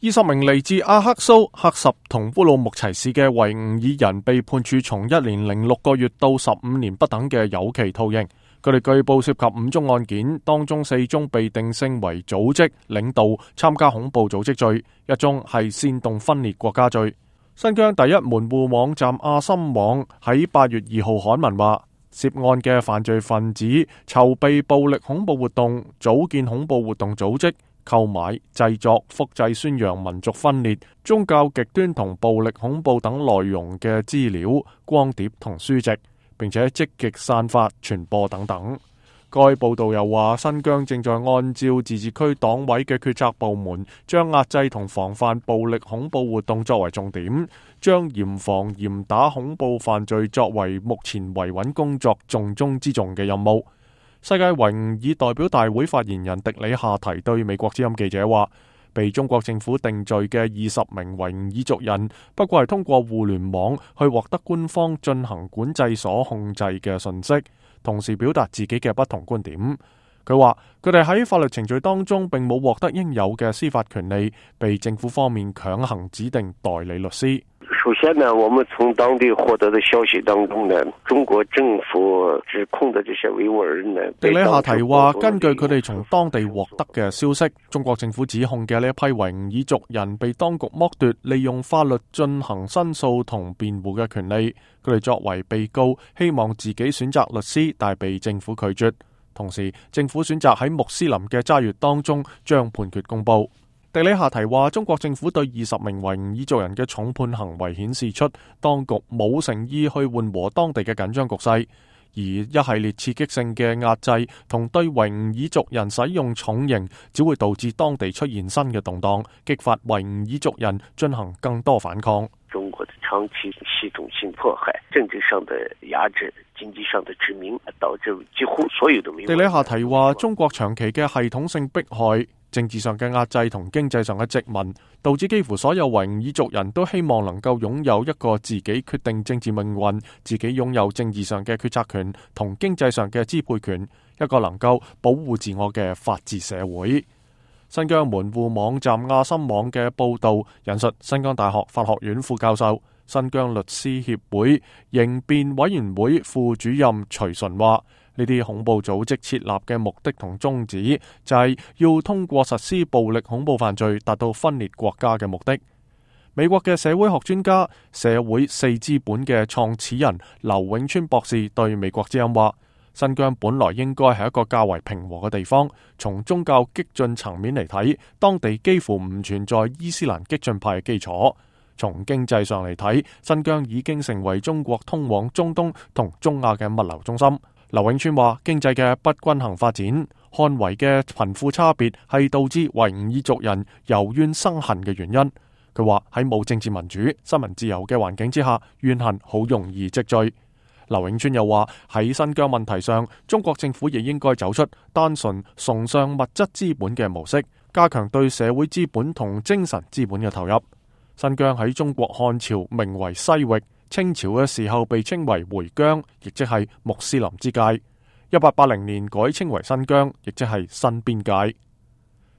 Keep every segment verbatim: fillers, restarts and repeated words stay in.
二十名嚟自阿克蘇、喀什同烏魯木齊市嘅維吾爾人被判處從一年零六個月到十五年不等嘅有期徒刑。佢哋據報涉及五宗案件，當中四宗被定性為組織、領導、參加恐怖組織罪，一宗係煽動分裂國家罪。新疆第一門戶網站阿森網喺八月二號刊文話，涉案嘅犯罪分子籌備暴力恐怖活動、組建恐怖活動組織、購買、製作、複製、宣揚民族分裂、宗教極端同暴力恐怖等內容嘅資料、光碟同書籍，並且積極散發、傳播等等。該報道又話，新疆正在按照自治區黨委嘅決策部門，將壓制同防範暴力恐怖活動作為重點，將嚴防嚴打恐怖犯罪作為目前維穩工作重中之重嘅任務。世界維吾爾代表大會發言人迪里夏提對美國之音記者話，被中國政府定罪嘅二十名維吾爾族人，不過係通過互聯網去獲得官方進行管制所控制嘅信息，同時表達自己嘅不同觀點。佢話佢哋喺法律程序當中並冇獲得應有嘅司法權利，被政府方面強行指定代理律師。首先呢，我們從當地獲得的消息當中呢，中國政府指控的這些維吾爾人呢，迪里夏提話，根據佢哋從當地獲得嘅消息，中國政府指控嘅呢一批維吾爾族人被當局剝奪利用法律進行申訴同辯護嘅權利。佢哋作為被告，希望自己選擇律師，但被政府拒絕。同時，政府選擇喺穆斯林嘅齋月當中將判決公佈。迪里夏提話，中國政府對二十名維吾爾族人嘅重判行為顯示出當局冇誠意去緩和當地嘅緊張局勢，而一系列刺激性嘅壓制同對維吾爾族人使用重刑，只會導致當地出現新嘅動盪，激發維吾爾族人進行更多反抗。中國的長期系統性迫害、政治上的壓制、經濟上的殖民，導致幾乎所有的。迪里夏提話，中國長期嘅系統性迫害、政治上嘅壓制同經濟上嘅殖民，導致幾乎所有維吾爾族人都希望能夠擁有一個自己決定政治命運、自己擁有政治上嘅決策權同經濟上嘅支配權，一個能夠保護自我嘅法治社會。新疆門戶網站阿森網嘅報導引述新疆大學法學院副教授、新疆律師協會刑辯委員會副主任徐純話，呢啲恐怖組織設立嘅目的同宗旨就係要通過實施暴力恐怖犯罪達到分裂國家嘅目的。美國嘅社會學專家、社會四資本嘅創始人劉永川博士對美國之音話，新疆本來應該係一個較為平和嘅地方，從宗教激進層面嚟睇，當地幾乎唔存在伊斯蘭激進派嘅基礎。從經濟上嚟睇，新疆已經成為中國通往中東同中亞嘅物流中心。劉永川話，經濟嘅不均衡發展、漢維嘅貧富差別係導致維吾爾族人由怨生恨嘅原因。佢話喺冇政治民主、新聞自由嘅環境之下，怨恨好容易積聚。劉永川又話，喺新疆問題上，中國政府亦應該走出單純崇尚物質資本嘅模式，加強對社會資本同精神資本嘅投入。新疆喺中國漢朝名為西域，清朝嘅時候被稱為回疆，亦即係穆斯林之界。一八八零年改稱為新疆，亦即係新邊界。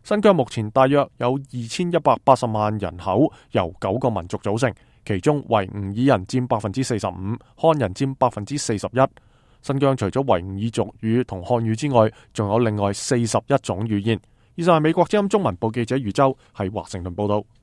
新疆目前大約有二千一百八十萬人口，由九個民族組成。其中維吾爾人佔百分之四十五，漢人佔百分之四十一。新疆除咗維吾爾族語同漢語之外，仲有另外四十一種語言。以上係美國之音中文部記者余洲喺華盛頓報道。